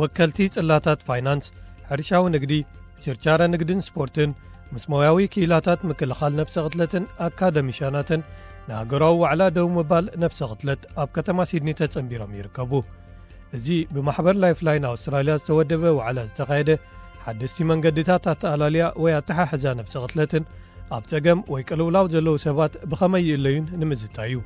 ወከልቲ ጽላታት ፋይናንስ፣ ሕርሻዊ ንግዲ፣ ችርቻረ ንግድን ስፖርትን፣ ምስ ሞያዊ ክኢላታት ምክልኻል ነብሰ ቅትለትን ኣካደሚሻናትን ንሃገራዊ ዋዕላ ደው ምባል ነብሰ ቅትለት ኣብ ከተማ ሲድኒ ተጸንቢሮም ይርከቡ። እዚ ብማሕበር ላይፍላይን ኣውስትራልያ ዝተወደበ ዋዕላ ዝተኻየደ ሓደስቲ መንገድታት ኣተኣላልያ ወይ ኣተሓሕዛ ነብሰ ቅትለትን ኣብ ጸገም ወይ ቅልውላው ዘለዉ ሰባት ብኸመይ ይእለዩን ንምዝታይ እዩ።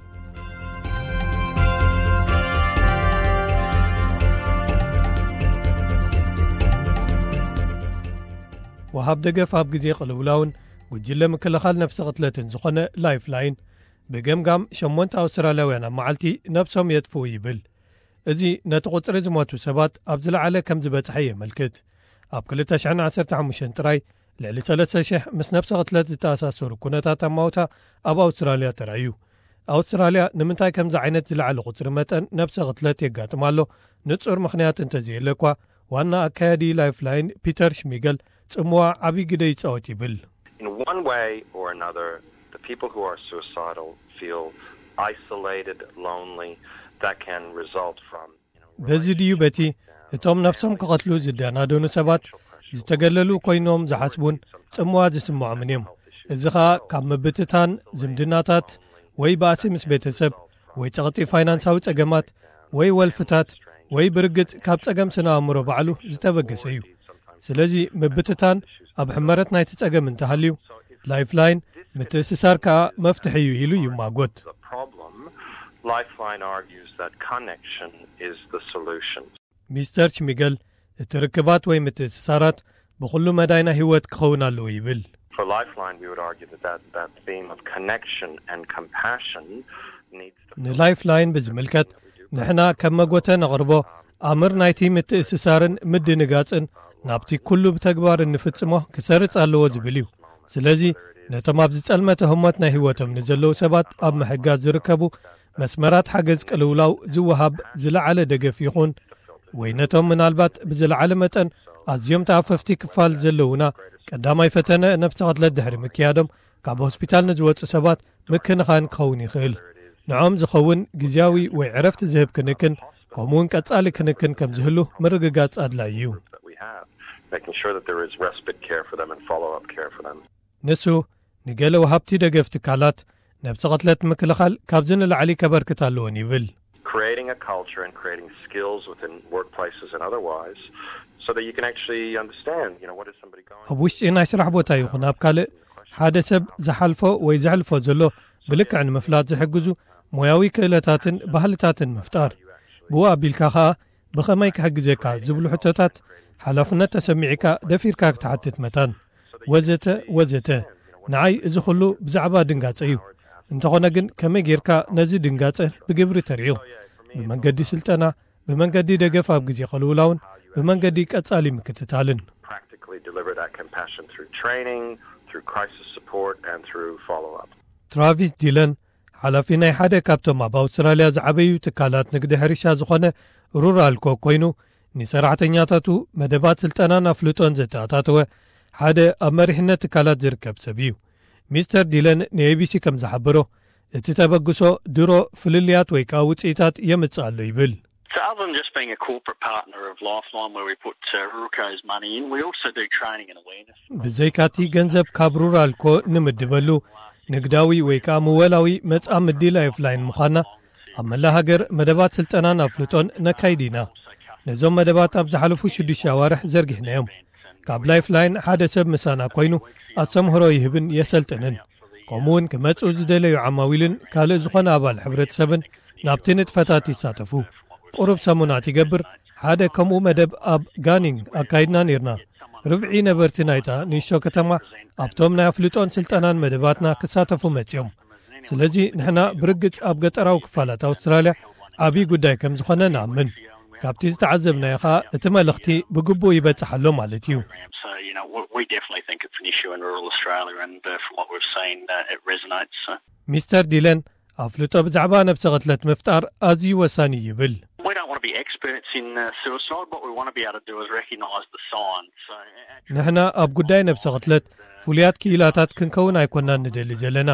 ወሃብ ደገፍ ኣብ ግዜ ቅልውላውን ጉጅለ ምክልኻል ነብሰ ቅትለትን ዝኾነ ላይፍላይን ብገምጋም ሸሞንተ ኣውስትራልያውያን ኣብ መዓልቲ ነብሶም የጥፍኡ ይብል። እዚ ነቲ ቁጽሪ ዝሞቱ ሰባት ኣብ ዝለዓለ ከም ዝበጽሐ የመልክት። ኣብ ክልተ ሽሕን ዓሰርተ ሓሙሽተን ጥራይ ልዕሊ ሰለስተ ሽሕ ምስ ነብሰ ቅትለት ዝተኣሳሰሩ ኩነታት ኣማውታ ኣብ ኣውስትራልያ ተራእዩ። ኣውስትራልያ ንምንታይ ከምዚ ዓይነት ዝለዓለ ቁጽሪ መጠን ነብሰ ቅትለት የጋጥም ኣሎ ንጹር ምኽንያት እንተዘየለ እኳ፣ ዋና ኣካያዲ ላይፍላይን ፒተር ሽሚገል ጽምዋ ዓቢ ግደ ይጻወት ይብል። In one way or another, the people who are suicidal feel isolated, lonely, that can result from በዚ ድዩ በቲ እቶም ነብሶም ክቐትሉ ዝደናደኑ ሰባት ዝተገለሉ ኮይኖም ዝሓስቡን ጽምዋ ዝስምዖምን እዮም። እዚ ኸኣ ካብ ምብትታን ዝምድናታት ወይ ባእሲ ምስ ቤተሰብ ወይ ጸቕጢ ፋይናንሳዊ ጸገማት ወይ ወልፍታት ወይ ብርግጽ ካብ ጸገም ስነ ኣእምሮ ባዕሉ ዝተበገሰ እዩ። ስለዚ ምብትታን ኣብ ሕመረት ናይቲ ጸገም እንተሃልዩ፣ ላይፍላይን ምትእስሳር ከኣ መፍትሒ እዩ ኢሉ ይማጎት። Lifeline argues that connection is the solution. ሚስተር ሽሚገል፣ እቲ ርክባት ወይ ምትእስሳራት ብኹሉ መዳይ ናይ ህይወት ክኸውን ኣለዎ ይብል። For Lifeline, we would argue that that, that theme of connection and compassion needs to ንላይፍላይን ብዝምልከት ንሕና ከም መጎተ ነቕርቦ ኣምር ናይቲ ምትእስሳርን ምድንጋጽን ናብቲ ኩሉ ብተግባር እንፍጽሞ ክሰርጽ ኣለዎ ዝብል እዩ። ስለዚ ነቶም ኣብ ዝጸልመተ ህሞት ናይ ህይወቶም ንዘለዉ ሰባት ኣብ ምሕጋዝ ዝርከቡ መስመራት ሓገዝ ቅልውላው ዝወሃብ ዝለዓለ ደገፍ ይኹን ወይ ነቶም ምናልባት ብዝለዓለ መጠን ኣዝዮም ተኣፈፍቲ ክፋል ዘለዉና ቀዳማይ ፈተነ ነብሰ ቅትለት ድሕሪ ምክያዶም ካብ ሆስፒታል ንዝወጹ ሰባት ምክንኻን ክኸውን ይኽእል። ንዖም ዝኸውን ግዝያዊ ወይ ዕረፍቲ ዝህብ ክንክን ከምኡውን ቀጻሊ ክንክን ከም ዝህሉ ምርግጋጽ ኣድላይ እዩ። That we have, making sure that there is respite care for them and follow-up care for them. ንሱ ንገለ ወሃብቲ ደገፍ ትካላት ነብሰ ቅትለት ምክልኻል ካብዚ ንላዕሊ ከበርክት ኣለዎን ይብል። Creating a culture and creating skills within workplaces and otherwise, so that you can actually understand, you know, what is somebody going ኣብ ውሽጢ ናይ ስራሕ ቦታ ይኹን ኣብ ካልእ ሓደ ሰብ ዝሓልፎ ወይ ዘሕልፎ ዘሎ ብልክዕ ንምፍላጥ ዝሕግዙ ሞያዊ ክእለታትን ባህልታትን ምፍጣር። ብኡ ኣቢልካ ኸኣ ብኸመይ ክሕግዘካ ዝብሉ ሕቶታት ሓላፍነት ተሰሚዕካ ደፊርካ ክትሓትት መታን ወዘተ ወዘተ። ንዓይ እዚ ኩሉ ብዛዕባ ድንጋጸ እዩ። እንተኾነ ግን ከመይ ጌርካ ነዚ ድንጋጸ ብግብሪ ተርእዮ? ብመንገዲ ስልጠና፣ ብመንገዲ ደገፍ ኣብ ግዜ ቅልውላውን ብመንገዲ ቀጻሊ ምክትታልን። Practically deliver that compassion through training, through crisis support, and through follow-up. ትራቪስ ዲለን ሓላፊ ናይ ሓደ ካብቶም ኣብ ኣውስትራልያ ዝዓበዩ ትካላት ንግዲ ሕርሻ ዝኾነ ሩራል ኮ ኮይኑ፣ ንሰራሕተኛታቱ መደባት ስልጠናን ኣፍልጦን ዘተኣታተወ ሓደ ኣብ መሪሕነት ትካላት ዝርከብ ሰብ እዩ። ሚስተር ዲለን ንኤቢሲ ከም ዝሓበሮ፣ እቲ ተበግሶ ድሮ ፍልልያት ወይ ከኣ ውጽኢታት የምጽእ ኣሎ ይብል። So other than just being a corporate partner of Lifeline, where we put uh, Ruruko's money in, we also do training and awareness. ብዘይካቲ ገንዘብ ካብ ሩራል ኮ ንምድበሉ ንግዳዊ ወይ ከኣ ምወላዊ መጻምዲ ላይፍላይን ምዃና ኣብ መላ ሃገር መደባት ስልጠናን ኣፍልጦን ነካይድ ኢና። ነዞም መደባት ኣብ ዝሓለፉ ሽዱሽተ ኣዋርሕ ዘርጊሕናዮም። ካብ ላይፍላይን ሓደ ሰብ ምሳና ኮይኑ ኣስተምህሮ ይህብን የሰልጥንን። ከምኡውን ክመጽኡ ዝደለዩ ዓማዊልን ካልእ ዝኾነ ኣባል ሕብረተሰብን ናብቲ ንጥፈታት ይሳተፉ። ቁሩብ ሰሙናት ይገብር ሓደ ከምኡ መደብ ኣብ ጋኒንግ ኣካይድና ኔርና። ርብዒ ነበርቲ ናይታ ንእሽቶ ከተማ ኣብቶም ናይ ኣፍልጦን ስልጠናን መደባትና ክሳተፉ መጺኦም። ስለዚ ንሕና ብርግጽ ኣብ ገጠራዊ ክፋላት ኣውስትራልያ ዓብዪ ጉዳይ ከም ዝኾነ ንኣምን። ካብቲ ዝተዓዘብናዮ ኸኣ እቲ መልእኽቲ ብግቡእ ይበጽሕ ኣሎ ማለት እዩ። So, you know, we, we definitely think it's an issue in rural Australia, and uh, from what we've seen, uh, it resonates. So. ሚስተር ዲለን ኣፍልጦ ብዛዕባ ነብሰ ቅትለት ምፍጣር ኣዝዩ ወሳኒ ይብል። We don't want to be experts in uh, suicide. What we want to be able to do is recognise the signs. So, uh, ንሕና ኣብ ጉዳይ ነብሰ ቅትለት ፍሉያት ክኢላታት ክንከውን ኣይኮናን ንደሊ ዘለና።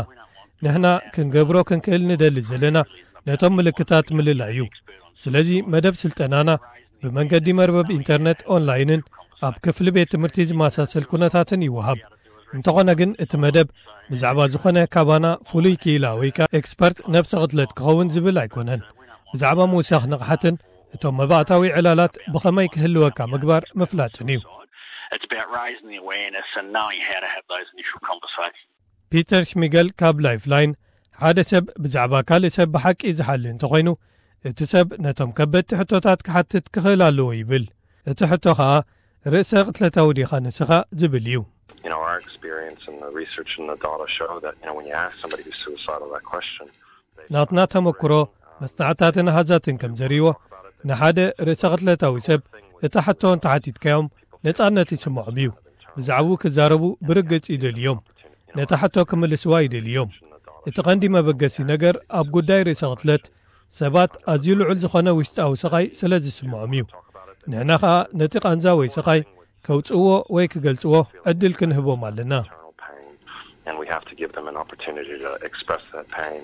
ንሕና ክንገብሮ ክንክእል ንደሊ ዘለና ነቶም ምልክታት ምልላይ እዩ። ስለዚ መደብ ስልጠናና ብመንገዲ መርበብ ኢንተርነት፣ ኦንላይንን ኣብ ክፍሊ ቤት ትምህርቲ ዝመሳሰል ኩነታትን ይወሃብ። እንተኾነ ግን እቲ መደብ ብዛዕባ ዝኾነ ካባና ፍሉይ ክኢላ ወይ ከኣ ኤክስፐርት ነብሰ ቅትለት ክኸውን ዝብል ኣይኮነን። ብዛዕባ ምውሳኽ ንቕሓትን እቶም መባእታዊ ዕላላት ብኸመይ ክህልወካ ምግባር ምፍላጥን እዩ። It's about raising the awareness and knowing how to have those initial conversations. ፒተር ሽሚገል ካብ ላይፍላይን፣ ሓደ ሰብ ብዛዕባ ካልእ ሰብ ብሓቂ ዝሓሊ እንተኾይኑ፣ እቲ ሰብ ነቶም ከበድቲ ሕቶታት ክሓትት ክኽእል ኣለዎ ይብል። እቲ ሕቶ ኸኣ፣ "ርእሰ ቅትለታዊ ዲኻ ንስኻ?" ዝብል እዩ። You know, our experience and the research and the data show that, you know, when you ask somebody who's suicidal that question, ናትና ተመክሮ፣ መጽናዕታትን ኣሃዛትን ከም ዘርእይዎ፣ ንሓደ ርእሰ ቅትለታዊ ሰብ እታ ሕቶ እንተሓቲትካዮም፣ ነጻነት ይስምዖም እዩ። ብዛዕባኡ ክዛረቡ ብርግጽ ይደልዮም። ነታ ሕቶ ክምልስዋ ይደልዮም። እቲ ቀንዲ መበገሲ ነገር ኣብ ጉዳይ ርእሰ ቅትለት፣ ሰባት ኣዝዩ ልዑል ዝኾነ ውሽጣዊ ስቓይ ስለ ዝስምዖም እዩ። ንሕና ኸኣ ነቲ ቃንዛ ወይ ስቓይ ከውጽእዎ ወይ ክገልጽዎ ዕድል ክንህቦም ኣለና። and we have to give them an opportunity to express that pain.